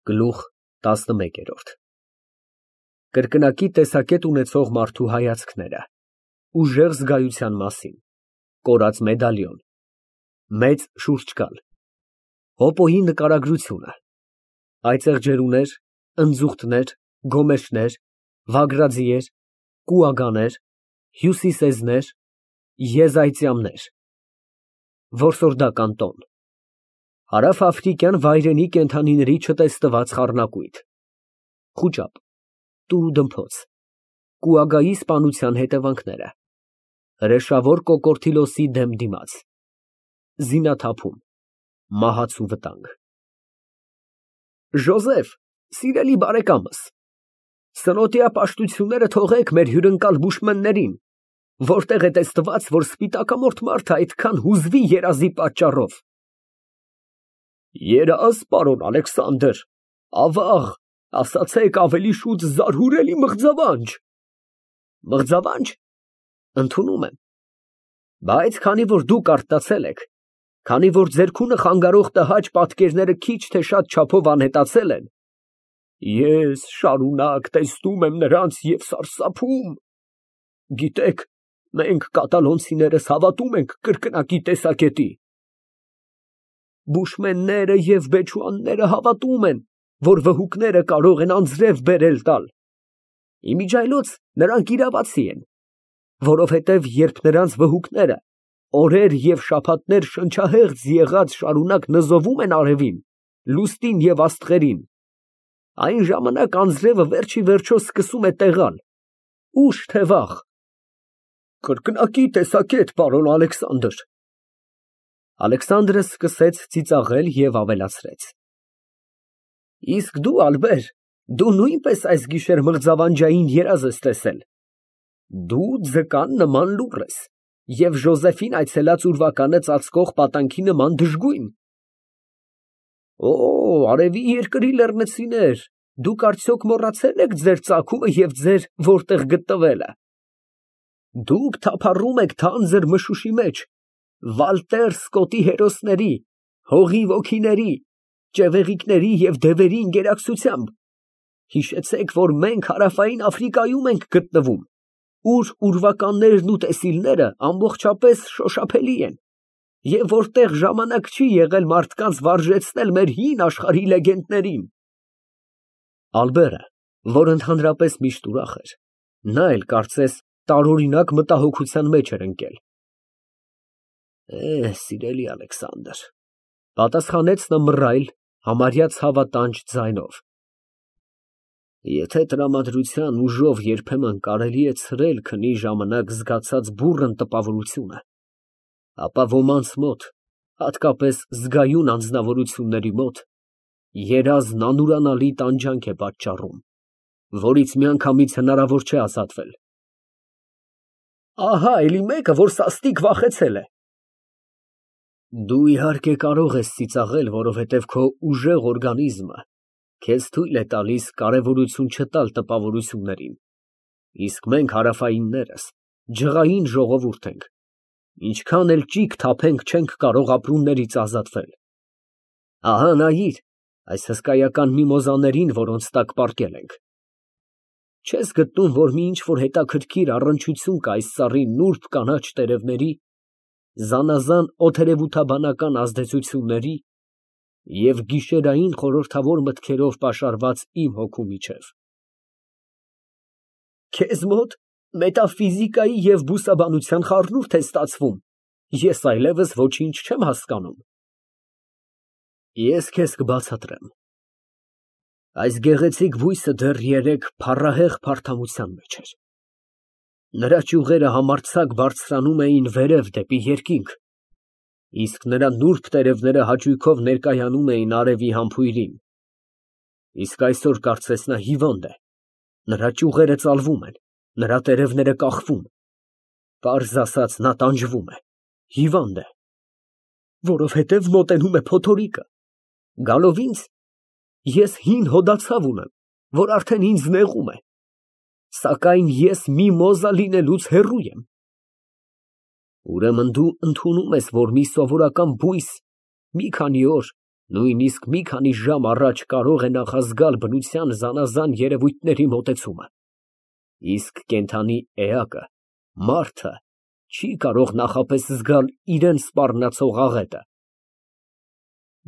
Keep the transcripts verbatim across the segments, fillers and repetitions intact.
Գլուխ տասնմեկ։ Կրկնակի տեսակետ ունեցող մարդու հայացքները, ուժեղ զգայության մասին, կորած մեդալիոն, մեծ շուրջկալ, հոպոյի նկարագրությունը, այծեղ ջերուներ, ընձուղտներ, գոմեշներ, վագրաձիեր, կուագաներ, հյուսիսեզներ, եզայծյամներ, որսորդական տոն, հարավաֆրիկյան վայրենի կենդանիների չտեսնված խառնակույտ, խուճապ, տուրուդմփոց, կուագայի սպանության հետևանքները, հրեշավոր կոկորդիլոսի դեմ դիմաց, զինաթափում, մահացու վտանգ։ Ժոզեֆ, սիրելի բարեկամս, սնոտիա պաշտությունները թողեք մեր հյուրընկալ բուշմեններին, որտեղ է տեսնված, որ սպիտակամորթ մարդը այդքան հուզվի երազի պատճառով։ Երազ, պարոն Ալեքսանդր, ավաղ, ասացեք ավելի շուտ զարհուրելի մղձավանջ։ Մղձավանջ, ընդունում եմ, բայց քանի որ դուք արթնացել եք, քանի որ ձեր քունը խանգարող տհաճ պատկերները քիչ թե շատ չափով անհետացել են, ես շարունակ տեսնում եմ նրանց և սարսափում։ Գիտեք, մենք կատալոնցիներս հավատում ենք կրկնակի տեսակետի։ Բուշմենները և բեչուանները հավատում են, որ վհուկները կարող են անձրև բերել տալ։ Իմիջիայլոց նրանք իրավացի են, որովհետև երբ նրանց վհուկները օրեր և շաբաթներ շնչահեղձ եղած շարունակ նզովում են արևին, լուստին և աստղերին, այն ժամանակ անձրևը վերջ ի վերջո սկսում է տեղալ, ուշ թե վաղ։ Կրկնակի տեսակետ, պարոն Ալեքսանդր։ Ալեքսանդրը սկսեց ծիծաղել և ավելացրեց. Իսկ դու, Ալբեր, դու նույնպես այս գիշեր մղձավանջային երազ ես տեսել։ Դու ձկան նման լուռ ես և Ժոզեֆին այցելած ուրվականը ծածկող պատանքի նման դժգույն։ Օ, արևի երկրի լեռնցիներ, դուք արդյոք մոռացե՞լ եք ձեր ծագումը և ձեր որտեղ գտնվելը։ Դուք թափառում եք թանձր մշուշի մեջ, Վալտեր Սկոտի հերոսների, հողի ոգիների, ճևեղիկների և դևերի ընկերակցությամբ, հիշեցեք, որ մենք հարավային Աֆրիկայում ենք գտնվում, ուր ուրվականներն ու տեսիլները ամբողջապես շոշափելի են, և որտեղ ժամանակ չի եղել մարդկանց վարժեցնել մեր հին աշխարհի լեգենդներին։ Ալբերը, որ ընդհանրապես միշտ ուրախ էր, նա էլ կարծես տարօրինակ մտահոգության մեջ էր ընկել։ Է, սիրելի Ալեքսանդր, պատասխանեց նա մռայլ, համարյա ցավատանջ ձայնով, եթե տրամադրության ուժով երբեմն կարելի է ցրել քնի ժամանակ զգացած բուռն տպավորությունը, ապա ոմանց մոտ, հատկապես զգայուն անձնավորությունների մոտ, երազն անուրանալի տանջանք է պատճառում, որից միանգամից հնարավոր չէ ազատվել։ Ահա էլի մեկը, որ սաստիկ վախեցել է։ Դու իհարկե կարող ես ծիծաղել, որովհետև քո ուժեղ օրգանիզմը քեզ թույլ է տալիս կարևորություն չտալ տպավորություններին, իսկ մենք հարավայիններս ջղային ժողովուրդ ենք, ինչքան էլ ճիգ թափենք չենք կարող ապրումներից ազատվել։ Ահա նայիր այս հսկայական միմոզաներին, որոնց տակ պառկել ենք։ Չես գտնում, որ մի ինչ-որ հետաքրքիր առնչություն կա այս ծառի նուրբ կանաչ տերևների, զանազան օդերևութաբանական ազդեցությունների և գիշերային խորհրդավոր մտքերով պաշարված իմ հոգու միջև։ Քեզ մոտ մետաֆիզիկայի և բուսաբանության խառնուրդ է ստացվում, ես այլևս ոչինչ չեմ հասկանում։ Ես քեզ կբացատրեմ։ Այս գեղեցիկ բույսը դեռ երեկ փառահեղ փարթամության մեջ էր։ Նրա ճյուղերը համարձակ բարձրանում էին վերև դեպի երկինք, իսկ նրա նուրբ տերևները հաճույքով ներկայանում էին արևի համբույրին։ Իսկ այսօր կարծես նա հիվանդ է, նրա ճյուղերը ծալվում են, նրա տերևները կախվում, պարզ ասած, նա տանջվում է, հիվանդ է, որովհետև մոտենում է փոթորիկը։ Գալով ինձ, ես հին հոդացավ ունեմ, որ արդեն ինձ նեղում է, սակայն ես միմոզա լինելուց հեռու եմ։ Ուրեմն դու ընդունում ես, որ մի սովորական բույս մի քանի օր Նույնիսկ մի քանի ժամ առաջ կարող է նախազգալ բնության զանազան երևույթների մոտեցումը, իսկ կենդանի էակը, մարդը, չի կարող նախապես զգալ իրան սպառնացող աղետը։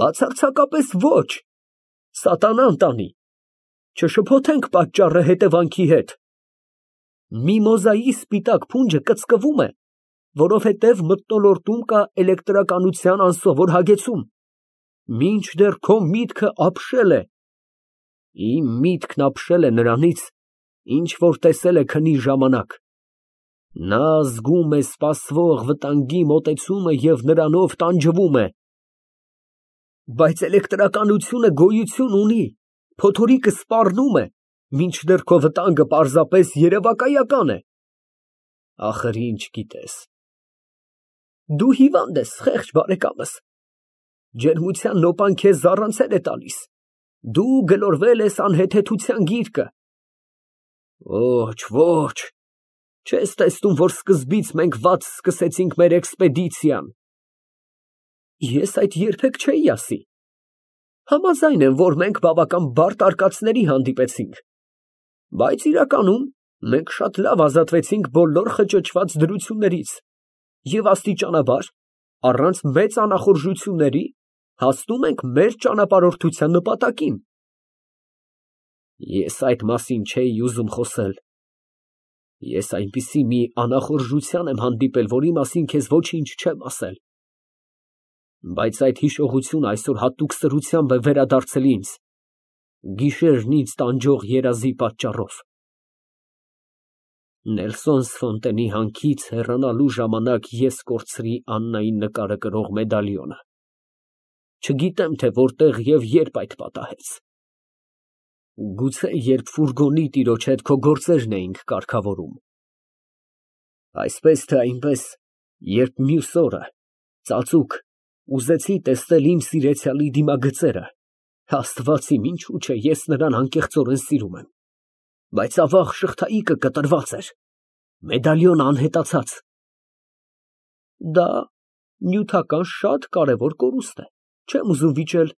Բացարձակապես ոչ, սատանան տանի, չշփոթենք պատճառը հետևանքի հետ։ Միմոզայի սպիտակ փունջը կծկվում է, որովհետև մթնոլորտում կա էլեկտրականության անսովոր հագեցում, մինչդեռ քո միտքը ապշել է, իմ միտքն ապշել է նրանից, ինչ որ տեսել է քնի ժամանակ, նա զգում է սպասվող վտանգի մոտեցումը և նրանով տանջվում է։ Բայց էլեկտրականությունը գոյություն ունի, փոթորիկը սպառնում է, մինչդեռ քո վտանգը պարզապես երևակայական է։ Ախր ինչ գիտես։ Դու հիվանդ ես, խեղճ բարեկամս, ջերմության նոպան քեզ զառանցել է տալիս, դու գլորվել ես անհեթեթության գիրկը։ Ոչ, ոչ, չես տեսնում, որ սկզբից մենք վատ սկսեցինք մեր էքսպեդիցիան։ Ես այդ երբեք չէի ասի։ Համաձայն եմ, որ մենք բավական բարդ արկածների հանդիպեցինք, բայց իրականում մենք շատ լավ ազատվեցինք բոլոր խճճված դրություններից և աստիճանաբար, առանց մեծ անախորժությունների, հասնում ենք մեր ճանապարհորդության նպատակին։ Ես այդ մասին չէի ուզում խոսել։ Ես այնպիսի մի անախորժության եմ հանդիպել, որի մասին քեզ ոչինչ չեմ ասել։ Բայց այդ հիշողությունը այսօր հատուկ սրությամբ է վերադարձել ինձ, գիշերն ինձ տանջող երազի պատճառով։ Նելսոն Սֆոնտենի հանքից հեռանալու ժամանակ ես կորցրի Աննային նկարը կրող մեդալիոնը։ Չգիտեմ, թե որտեղ և երբ այդ պատահեց։ Գուցե երբ ֆուրգոնի տիրոջ հետ քո գործերն էինք կարգավորում։ Այսպես թե այնպես, երբ մյուս օրը, ծածուկ, ուզեցի տեսնել իմ սիրեցյալի դիմագծերը, Աստված իմ, ինչու չէ, ես նրան անկեղծորեն սիրում եմ, բայց ավաղ շղթայիկը կտրված էր, մեդալիոնը անհետացած։ Դա նյութական շատ կարևոր կորուստ է, չեմ ուզում վիճել,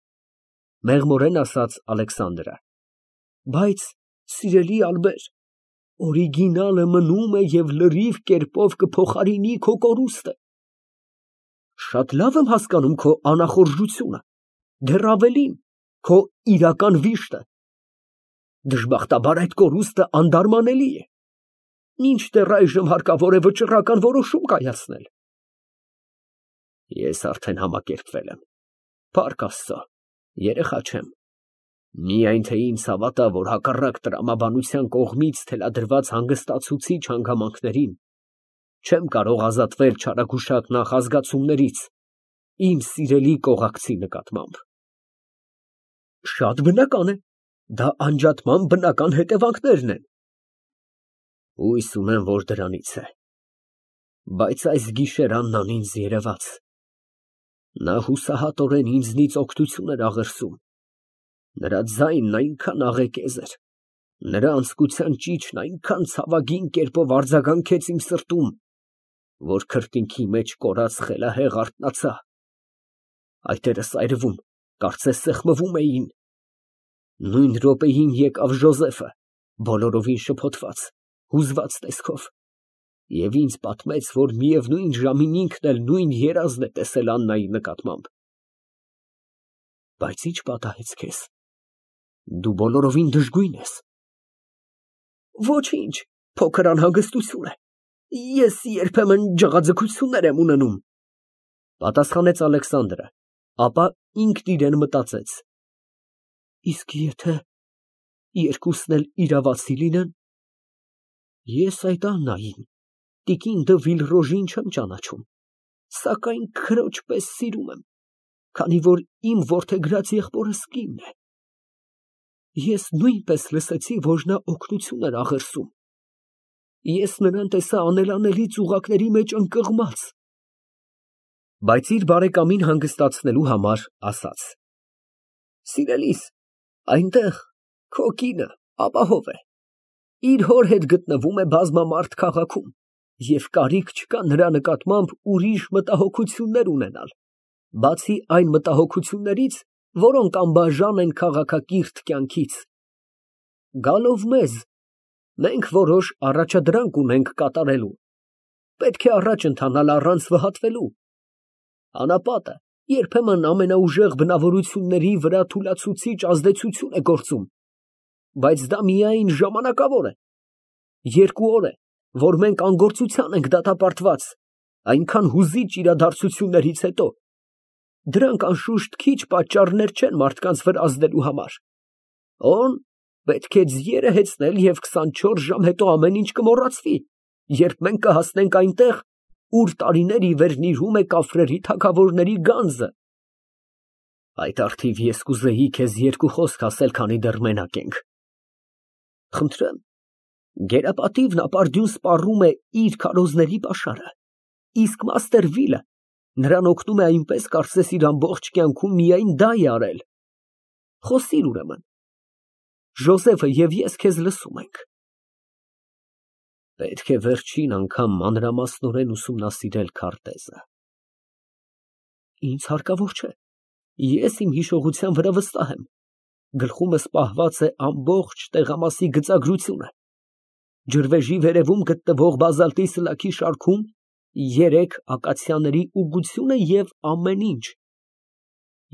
մեղմորեն ասաց Ալեքսանդրը, բայց սիրելի Ալբեր, օրիգինալը մնում է և լրիվ կերպով կփոխարինի քո կորուստը։ Շատ լավ եմ հասկանում քո անախորժությունը, դեռ ավելին, քո իրական վիշտը։ Դժբախտաբար այդ կորուստը անդարմանելի է, մինչդեռ այժմ հարկավոր է վճռական որոշում կայացնել։ Ես արդեն համակերպվել եմ, փառք Աստծո, երեխա չեմ, միայն թե ինձ հավատա, որ հակառակ տրամաբանության կողմից թելադրված հանգստացուցիչ հանգամանքներին, չեմ կարող ազատվել չարագուշակ նախազգացումներից իմ սիրելի կողակցի նկատմամբ։ Շատ բնական է, դա անջատման բնական հետևանքներն են։ Հույս ունեմ, որ դրանից է, բայց այս գիշեր Աննան ինձ երևաց, նա հուսահատորեն ինձնից օգնություն էր աղերսում, նրա ձայնն այնքան աղեկեզ էր, նրա անձկության ճիչն այնքան ցավագին կերպով արձագանքեց իմ սրտում, որ քրտինքի մեջ կորած խելահեղ արթնացա, այտերս այրվում, կարծես սեղմվում էին։ Նույն րոպեին եկավ Ժոզեֆը, բոլորովին շփոթված, հուզված տեսքով, և ինձ պատմեց, որ միևնույն ժամին ինքն էլ նույն երազն է տեսել Աննայի նկատմամբ։ Բայց ի՞նչ պատահեց քեզ։ Դու բոլորովին դժգույն ես։ Ոչինչ, փոքր անհանգստություն է։ Ես երբեմն ջղաձգություններ եմ ունենում, պատասխանեց Ալեքսանդրը, ապա ինքն իրեն մտածեց. Իսկ եթե երկուսն էլ իրավացի լինեն, ես այդ Աննային, տիկին դը Վիլրոժին չեմ ճանաչում, սակայն քրոջ պես սիրում եմ, քանի որ իմ որդեգրած եղբորս կինն է։ Ես նույնպես լսեցի, որ նա օգնություն էր աղերսում։ Ես նրան տեսա անելանելի ծուղակների մեջ ընկղմած։ Բայց իր բարեկամին հանգստացնելու համար ասաց. Սիրելիս, այնտեղ քո կինը ապահով է, իր հոր հետ գտնվում է բազմամարդ քաղաքում և կարիք չկա նրա նկատմամբ ուրիշ մտահոգություններ ունենալ, բացի այն մտահոգություններից, որոնք անբաժան են քաղաքակիրթ կյանքից։ Գալով մեզ, մենք որոշ առաջադրանք ունենք կատարելու, պետք է առաջ ընթանալ առանց վհատվելու։ Անապատը երբեմն ամենաուժեղ բնավորությունների վրա թուլացուցիչ ազդեցություն է գործում, բայց դա միայն ժամանակավոր է։ Երկու օր է, որ մենք անգործության ենք դատապարտված, այնքան հուզիչ իրադարձություններից հետո։ Դրանք անշուշտ քիչ պատճառներ չեն մարդկանց վրա ազդելու համար։ Օն պետք է ձիերը հեծնել և քսանչորս ժամ հետո ամեն ինչ կմոռացվի, երբ մենք կհասնենք այնտեղ, ուր տարիներ ի վեր նիրհում է կաֆրերի թագավորների գանձը։ Այդ առթիվ ես կուզեի քեզ երկու խոսք ասել, քանի դեռ մենակ ենք։ Խնդրեմ, գերապատիվն ապարդյուն սպառում է իր քարոզների պաշարը, իսկ մաստեր Վիլը նրան օգնում է այնպես, կարծես իր ամբողջ կյանքում միայն դա է արել։ Խոսիր ուրեմն։ Ժոզեֆը և ես քեզ լսում ենք։ Պետք է վերջին անգամ մանրամասնորեն ուսումնասիրել քարտեզը։ Ինձ հարկավոր չէ, ես իմ հիշողության վրա վստահ եմ, գլխումս պահված է ամբողջ տեղամասի գծագրությունը, ջրվեժի վերևում գտնվող բազալտի սլաքի շարքում երեք ակացիաների ուղղությունը և ամեն ինչ։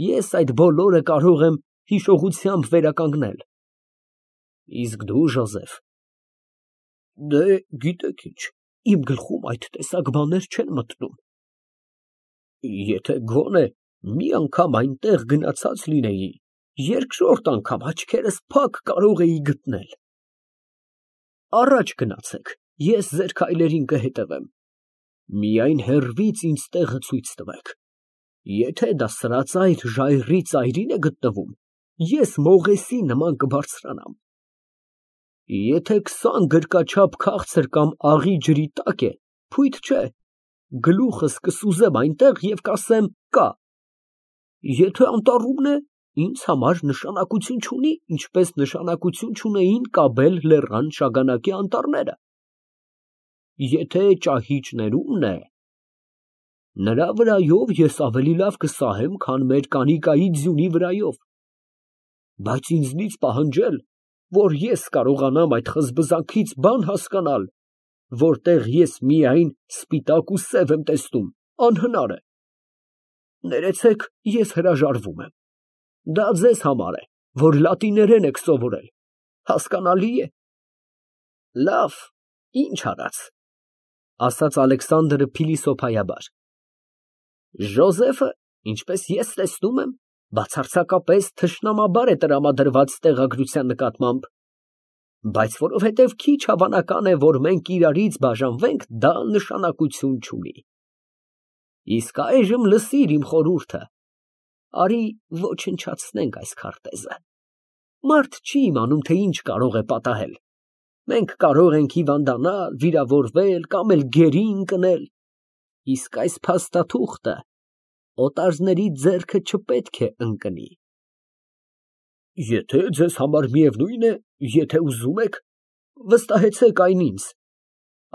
Ես այդ բոլորը կարող եմ հիշողությամբ վերականգնել։ Իսկ դու, Ժոզեֆ։ Դե, գիտեք ինչ, իմ գլխում այդ տեսակ բաներ չեն մտնում։ Եթե գոնե մի անգամ այնտեղ գնացած լինեի, երկրորդ անգամ աչքերս փակ կարող էի գտնել։ Առաջ գնացեք, ես ձեր քայլերին կհետևեմ։ Միայն հեռվից ինձ տեղը ցույց տվեք։ Եթե դա սրածայր ժայռի ծայրին է գտնվում, ես մողեսի նման կբարձրանամ։ Եթե քսան գրկաչափ քաղցր կամ աղի ջրի տակ է, փույթ չէ, գլուխս կսուզեմ այնտեղ և կասեմ կա։ Եթե անտառումն է, ինձ համար նշանակություն չունի, ինչպես նշանակություն չունեին Կաբել լեռան շագանակի անտառները։ Եթե ճահիճներումն է, նրա վրայով ես ավելի լավ կսահեմ, քան մեր Կանիկայի ձյունի վրայով։ Բայց ինձնից պահանջել, որ ես կարողանամ այդ խզբզանքից բան հասկանալ, որտեղ ես միայն սպիտակ ու սև եմ տեսնում, անհնար է։ Ներեցեք, ես հրաժարվում եմ։ Դա ձեզ համար է, որ լատիներեն եք սովորել, հասկանալի է։ Լավ, ինչ արած, ասաց Ալեքսանդրը փիլիսոփայաբար։ Ժոզեֆը, ինչպես ես տեսնում եմ, բացարձակապես թշնամաբար է տրամադրված տեղագրության նկատմամբ, բայց որովհետև քիչ հավանական է, որ մենք իրարից բաժանվենք, դա նշանակություն չունի։ Իսկ այժմ լսիր իմ խորհուրդը, արի ոչնչացնենք այս քարտեզը։ Մարդ չի իմանում, թե ինչ կարող է պատահել։ Մենք կարող ենք հիվանդանալ, վիրավորվել կամ էլ գերի ընկնել, իսկ այս փաստաթուղթը օտարների ձեռքը չպետք է ընկնի։ Եթե ձեզ համար միևնույն է, եթե ուզում եք, վստահեցեք այն ինձ։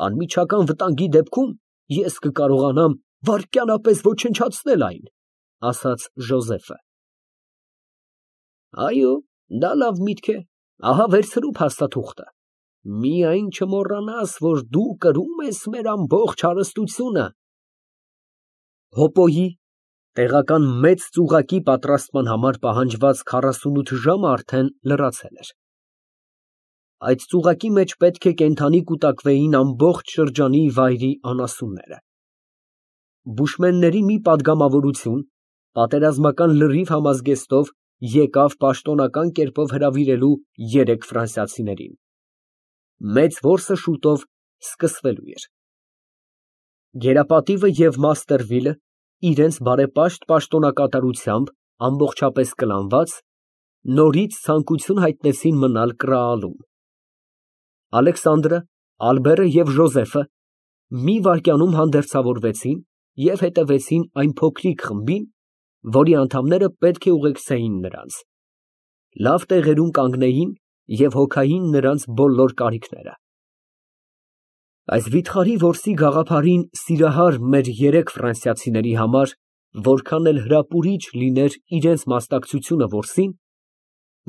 Անմիջական վտանգի դեպքում ես կկարողանամ վայրկյանապես ոչնչացնել այն, ասաց Ժոզեֆը։ Այո, դա լավ միտք է, ահա վերցրու փաստաթուղթը։ Միայն չմոռանաս, որ դու կրում ես մեր ամբողջ հարստությունը։ Հոպոյի տեղական մեծ ծուղակի պատրաստման համար պահանջված քառասունութ ժամը արդեն լրացել էր։ Այդ ծուղակի մեջ պետք է կենդանի կուտակվեին ամբողջ շրջանի վայրի անասունները։ Բուշմենների մի պատգամավորություն պատերազմական լրիվ համազգեստով եկավ պաշտոնական կերպով հրավիրելու երեք ֆրանսիացիներին։ Մեծ որսը շուտով սկսվելու էր։ Գերապատիվը և մաստեր Վիլը իրենց բարեպաշտ պաշտոնակատարությամբ ամբողջապես կլանված, նորից ցանկություն հայտնեցին մնալ Կրաալում։ Ալեքսանդրը, Ալբերը և Ժոզեֆը մի վայրկյանում հանդերձավորվեցին և հետևեցին այն փոքրիկ խմբին, որի անդամները պետք է ուղեկցեին նրանց, լավ տեղերում կանգնեին և հոգային նրանց բոլոր կարիքները։ Այս վիթխարի որսի գաղափարին սիրահար մեր երեք ֆրանսիացիների համար որքան էլ հրապուրիչ լիներ իրենց մասնակցությունը որսին,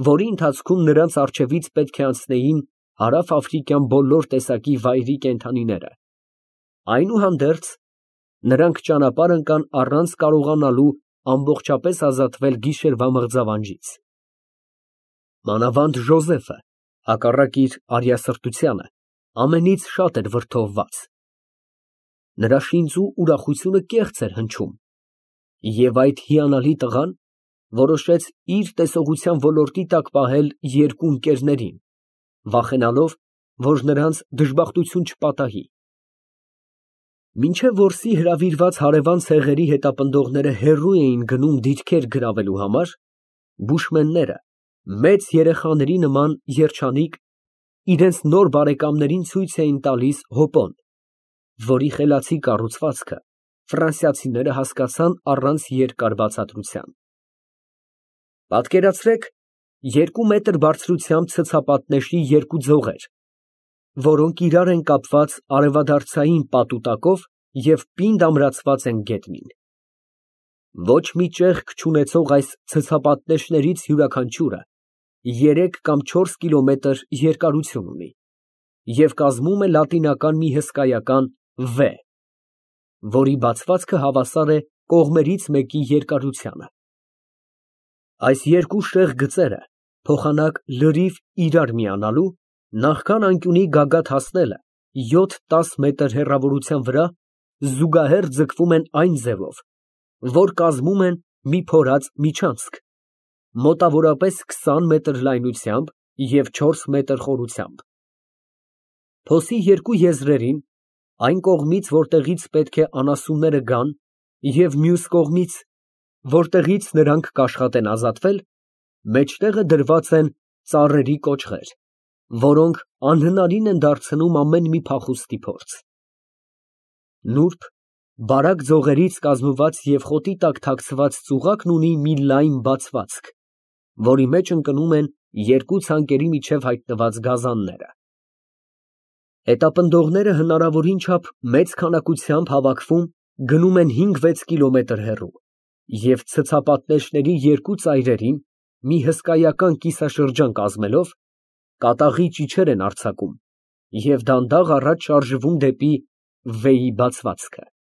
որի ընթացքում նրանց առջևից պետք է անցնեին հարավ֊աֆրիկյան բոլոր տեսակի վայրի կենդանիները, այնուհանդերձ, նրանք ճանապարհ ընկան առանց կարողանալու ամբողջապես ազատվել գիշերվա մղձավանջից։ Մանավանդ Ժոզեֆը, հակառակ իր արիասրտությանը, ամենից շատ էր վրդովված։ Նրա շինծու ուրախությունը կեղծ էր հնչում, և այդ հիանալի տղան որոշեց իր տեսողության ոլորտի տակ պահել երկու ընկերներին, վախենալով, որ նրանց դժբախտություն չպատահի։ Մինչև որսի հրավիրված հարևան ցեղերի հետապնդողները հեռու էին գնում դիրքեր գրավելու համար, բուշմենները, մեծ երեխաների նման երջանիկ, իրենց նոր բարեկամներին ցույց էին տալիս հոպոն, որի խելացի կառուցվածքը ֆրանսիացիները հասկացան առանց երկար բացատրության։ Պատկերացրեք երկու մետր բարձրությամբ ցցապատնեշի երկու ձողեր, որոնք իրար են կապված արևադարձային պատուտակով և պինդ ամրացված են գետնին։ Ոչ մի ճեղք չունեցող այս ցցապատնեշներից յուրաքանչյուրը երեք կամ չորս կիլոմետր երկարություն ունի և կազմում է լատինական մի հսկայական V, որի բացվածքը հավասար է կողմերից մեկի երկարությանը։ Այս երկու շեղ գծերը փոխանակ լրիվ իրար միանալու, նախքան անկյունի գագաթ հասնելը յոթ֊տաս մետր հեռավորության վրա զուգահեռ ձգվում են այն ձևով, որ կազմում են մի փորած միջանցք, մոտավորապես քսան մետր լայնությամբ և չորս մետր խորությամբ։ Փոսի երկու եզրերին, այն կողմից, որտեղից պետք է անասունները գան, և մյուս կողմից, որտեղից նրանք կաշխատեն ազատվել, մեջտեղը դրված են ծառերի կոճղեր, որոնք անհնարին են դարձնում ամեն մի փախուստի փորձ։ Նուրբ, բարակ ձողերից կազմված և խոտի տակ թաքցված ծուղակն ունի մի լայն բացվածք, որի մեջ ընկնում են երկու ցանկերի միջև հայտնված գազանները։ Հետապնդողները հնարավորին չափ մեծ քանակությամբ հավաքվում գնում են հինգ֊վեց կիլոմետր հեռու և ցցապատնեշների երկու ծայրերին, մի հսկայական կիսաշրջան կազմելով, կատաղի ճիչեր են արձակում և դանդաղ առաջ շարժվում դեպի V-ի բացվածքը։